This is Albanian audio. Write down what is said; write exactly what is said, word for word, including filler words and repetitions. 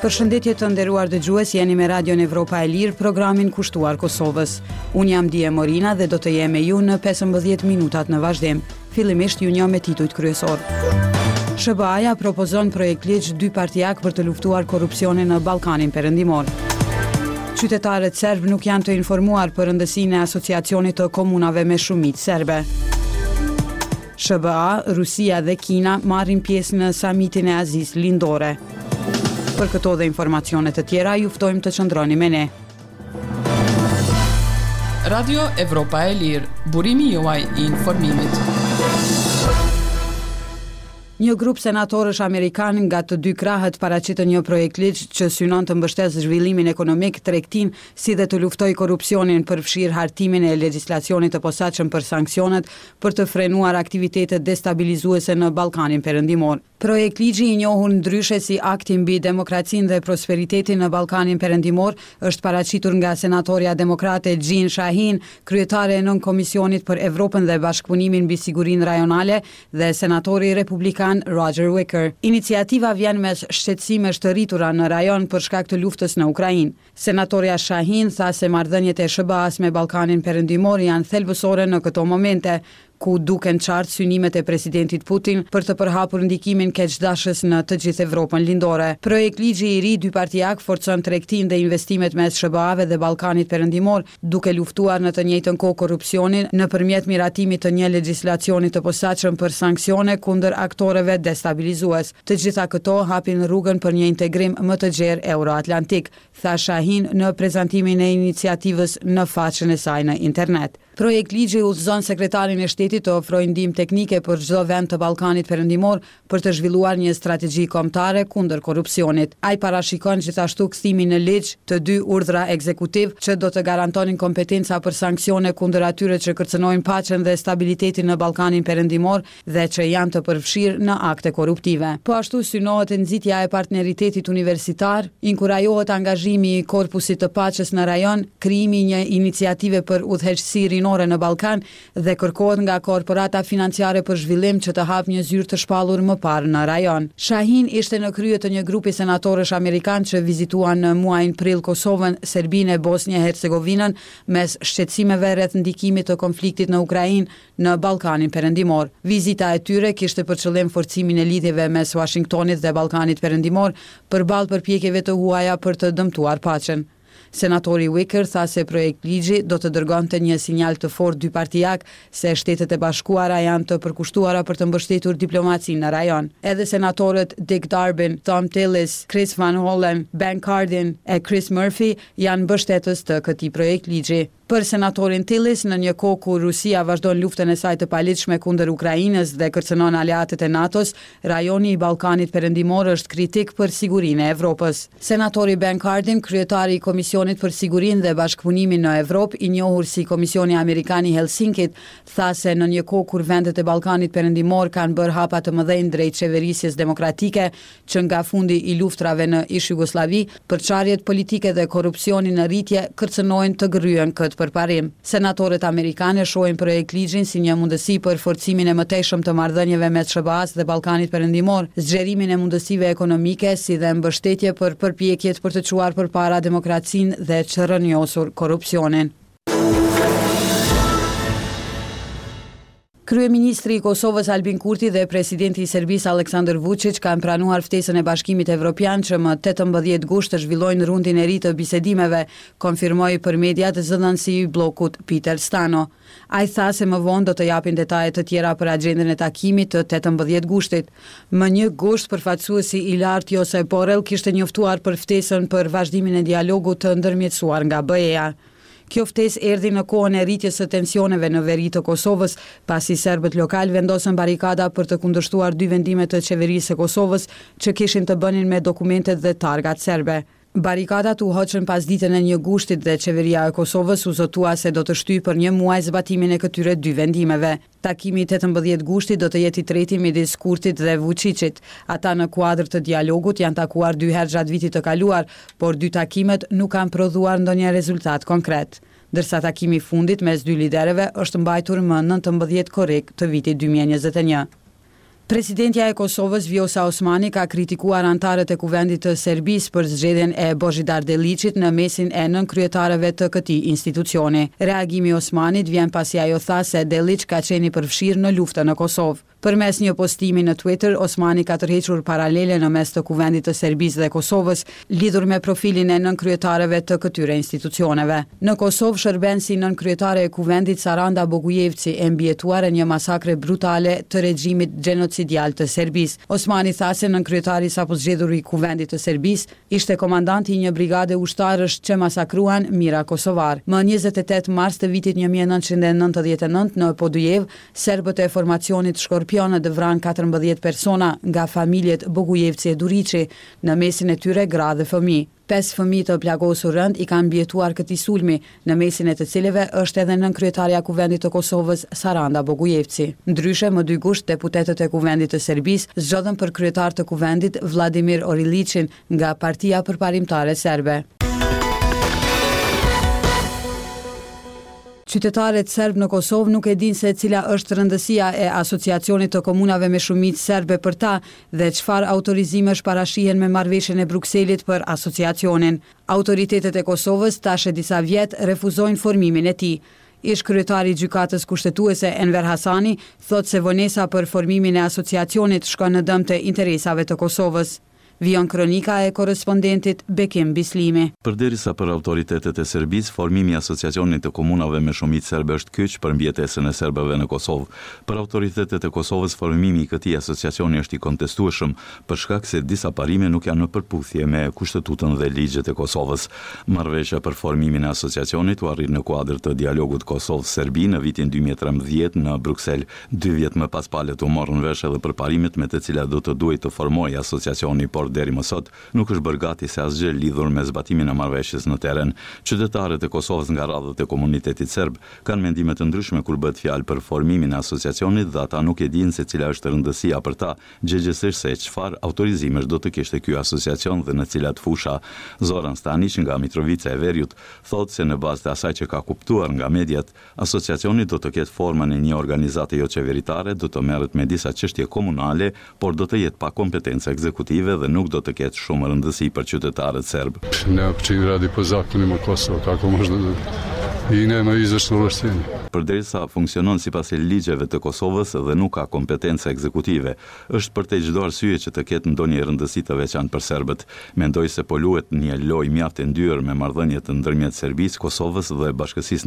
Përshëndetje të nderuar dëgjues, jeni me Radion Evropa e Lirë, programin kushtuar Kosovës. Unë jam Die Morina dhe do të jem me ju në pesëmbëdhjetë minutat në vazhdim. Fillimisht ju njoh me titujt kryesor. S H B A-ja propozon projektligj dy partiak për të luftuar korrupsionin në Ballkanin Perëndimor. Qytetarët serb nuk janë të informuar për rëndësinë e asociacionit të komunave me shumicë serbe. S H B A, Rusia dhe Kina marrin pjesë në samitin e Azisë Lindore. Për këto dhe informacione të tjera, ju ftojmë të qëndroni me ne. Radio Evropa e Lirë, burimi juaj i informimit. Një grup senatorësh amerikan nga të dy krahët paraqitën një projektligj që synon të mbështesë zhvillimin ekonomik, tregtin, si dhe të luftojë korrupsionin, përfshirë hartimin e legjislacionit të posaçëm për sanksionet për të frenuar aktivitetet destabilizuese në Ballkanin Perëndimor. Projektligji, i njohur ndryshe si Akti mbi demokracinë dhe prosperitetin në Ballkanin Perëndimor, është paraqitur nga senatorja demokrate Jeanne Shaheen, kryetare e Nënkomisionit për Evropën dhe Bashkëpunimin mbi Sigurinë Rajonale, dhe senatori republikan Roger Wicker. Iniciativa vjen mes shqetësimesh të rritura në rajon për shkak të luftës në Ukrainë. Senatorja Shaheen tha se marrëdhëniet e S H B A-s me Ballkanin Perëndimor janë thelbësore në këto momente, ku duken qartë synimet e presidentit Putin për të përhapur ndikimin keqdashës në të gjithë Evropën Lindore. Projektligji i ri dypartiak forcon tregtinë dhe investimet mes S H B A-ve dhe Ballkanit Perëndimor, duke luftuar në të njëjtën kohë korrupsionin nëpërmjet miratimit të një legjislacioni të posaçëm për sanksione kundër aktorëve destabilizues. Të gjitha këto hapin rrugën për një integrim më të gjerë euroatlantik, tha Shaheen në prezantimin e iniciativës në faqen e saj në internet. Projektligji udhëzon sekretarin e shtetit të ofrojë ndihmë teknike për çdo vend të Ballkanit Perëndimor për të zhvilluar një strategji kombëtare kundër korrupsionit. Ai parashikon gjithashtu kthimin në ligj të dy urdhra ekzekutiv që do të garantonin kompetenca për sanksione kundër atyre që kërcënojnë paqen dhe stabilitetin në Ballkanin Perëndimor dhe që janë të përfshirë në akte korruptive. Po ashtu synohet nxitja e partneritetit universitar, inkurajohet angazhimi i korpusit të paqes në rajon, krijimi i një iniciative për udhëheqësi rinore në Ballkan dhe kërkohet nga Korporata Financiare për Zhvillim që të hapë një zyrë të shpallur më parë në rajon. Shaheen ishte në krye të një grupi senatorësh amerikan që vizituan në muajin prill Kosovën, Serbinë e Bosnjë e Hercegovinën mes shqetësimeve rreth ndikimit të konfliktit në Ukrainë në Ballkanin Perëndimor. Vizita e tyre kishte për qëllim forcimin e lidhjeve mes Washingtonit dhe Ballkanit Perëndimor përballë përpjekjeve të huaja për të dëmtuar paqen. Senatori Wicker tha se projektligji do të dërgonte një sinjal të fortë dypartiak se Shtetet e Bashkuara janë të përkushtuara për të mbështetur diplomacinë në rajon. Edhe senatorët Dick Durbin, Thom Tillis, Chris Van Hollen, Ben Cardin e Chris Murphy janë mbështetës të këtij projektligji. Për senatorin Tillis, në një kohë kur Rusia vazhdon luftën e saj të paligjshme kundër Ukrainës dhe kërcënon aleatët e NATO-s, rajoni i Ballkanit Perëndimor është kritik për sigurinë e Evropës. Senatori Ben Cardin, kryetari i Komisionit për Sigurinë dhe Bashkëpunimin në Evropë, i njohur si Komisioni Amerikan i Helsinkit, tha se në një kohë kur vendet e Ballkanit Perëndimor kanë bërë hapa të mëdhenj drejt qeverisjes demokratike që nga fundi i luftrave në ish-Jugosllavi, përçarjet politike dhe korrupsioni në rritje kërcënojnë të gërryejnë këtë përparim. Senatorët amerikanë shohin projektligjin si një mundësi për forcimin e mëtejshëm të marrëdhënieve mes S H B A-s dhe Ballkanit Perëndimor, zgjerimin e mundësive ekonomike si dhe mbështetje për përpjekjet për të çuar përpara demokracinë dhe çrrënjosur korrupsionin. Kryeministri i Kosovës Albin Kurti dhe presidenti i Serbisë Aleksandar Vučić kanë pranuar ftesën e Bashkimit Evropian që më tetëmbëdhjetë gusht të zhvillojnë rundin e ri të bisedimeve, konfirmoi për mediat zëdhënësi i bllokut Peter Stano. Ai tha se më vonë do të japin detaje të tjera për agjendën e takimit të tetëmbëdhjetë gushtit. Më një gusht, përfaqësuesi i lartë Josep Borrell kishte njoftuar për ftesën për vazhdimin e dialogut të ndërmjetësuar nga B E-ja. Kjo ftesë erdhi në kohën e rritjes së tensioneve në veri të Kosovës, pasi serbët lokal vendosën barikada për të kundërshtuar dy vendime të qeverisë së Kosovës që kishin të bënin me dokumentet dhe targat serbe. Barikadat u hoqën pas ditën e një gushtit dhe qeveria e Kosovës u zotua se do të shtyjë për një muaj zbatimin e këtyre dy vendimeve. Takimi i tetëmbëdhjetë gushtit do të jetë i treti midis Kurtit dhe Vučićit. Ata në kuadër të dialogut janë takuar dy herë gjatë vitit të kaluar, por dy takimet nuk kanë prodhuar ndonjë rezultat konkret. Ndërsa takimi i fundit mes dy liderëve është mbajtur më nëntëmbëdhjetë korrik të vitit dy mijë e njëzet e një. Presidentja e Kosovës Vjosa Osmani ka kritikuar anëtarët e Kuvendit të Serbisë për zgjedhjen e Bozhidar Deliqit në mesin e nënkryetarëve të këtij institucioni. Reagimi i Osmanit vjen pasi ajo tha se Deliq ka qenë i përfshirë në luftën në Kosovë. Përmes një postimi në Twitter, Osmani ka tërhequr paralele në mes të Kuvendit të Serbisë dhe Kosovës, lidhur me profilin e nënkryetarëve të këtyre institucioneve. Në Kosovë shërben si nënkryetare e Kuvendit Saranda Bogujevci, e mbijetuar e një masakre brutale të regjimit gjenocidial të Serbisë. Osmani tha se nënkryetari sapo zgjedhur i Kuvendit të Serbisë ishte komandanti i një brigade ushtarësh që masakruan mijëra kosovar. Më njëzet e tetë mars të vitit një mijë e nëntëqind e nëntëdhjetë e nëntë në Podujevë, serbët e formacionit Shkorpionët vranë katërmbëdhjetë persona nga familjet Bogujevci e Duriqi, në mesin e tyre gra dhe fëmijë. Pesë fëmijë të plagosur rënd i kanë mbijetuar këtij sulmi, në mesin e të cilëve është edhe nënkryetarja e Kuvendit të Kosovës, Saranda Bogujevci. Ndryshe, më dy gusht, deputetët e Kuvendit të Serbisë zgjodhën për kryetar të Kuvendit Vladimir Oriliqin nga Partia Përparimtare Serbe. Qytetarët serb në Kosovë nuk e dinë se cila është rëndësia e asociacionit të komunave me shumicë serbe për ta dhe çfarë autorizimesh parashihen me marrëveshjen e Brukselit për asociacionin. Autoritetet e Kosovës tash e disa vjet refuzojnë formimin e tij. Ish kryetari i Gjykatës Kushtetuese Enver Hasani thotë se vonesa për formimin e asociacionit shkon në dëm të interesave të Kosovës. Vijon kronika e korrespondentit Bekim Bislimi. Përderisa për autoritetet e Serbisë, formimi i asociacionit të komunave me shumicë serbe është kyç për mbijetesën e serbëve në Kosovë. Për autoritetet e Kosovës, formimi i këtij asociacioni është i kontestueshëm, për shkak se disa parime nuk janë në përputhje me kushtetutën dhe ligjet e Kosovës. Marrëveshja për formimin e asociacionit u arrit në kuadër të dialogut Kosovë-Serbi në vitin dy mijë e trembëdhjetë në Bruksel. Dy vjet më pas palët u morën vesh edhe për parimet me të cilat do të duhej të formohej asociacioni, por deri më sot nuk është bërë gati se asgjë lidhur me zbatimin e marrëveshjes në terren. Qytetarët e Kosovës nga radhët e komunitetit serb kanë mendime të ndryshme kur bëhet fjalë për formimin e asociacionit dhe ata nuk e dinë se cila është rëndësia për ta, gjegjësisht se çfarë autorizimesh do të kishte ky asociacion dhe në cilat fusha. Zoran Stanic nga Mitrovica e Veriut thotë se në bazë të asaj që ka kuptuar nga mediat, asociacioni do të ketë formën e një organizate jo qeveritare, do të merret me disa çështje komunale, por do të jetë pa kompetenca ekzekutive dhe nuk do të ketë shumë rëndësi për qytetarët serb. Ne uopće radi po zakonima Kosova, kako možda da i nema izvršno ovlaštenje. Përderisa funksionon sipas ligjeve të Kosovës dhe nuk ka kompetenca ekzekutive, është për të çdo arsye që të ketë ndonjë rëndësi të veçantë për serbët. Mendoj se po luhet një lojë mjaft e ndyrë me marrëdhëniet ndërmjet Serbisë, Kosovës dhe bashkësisë.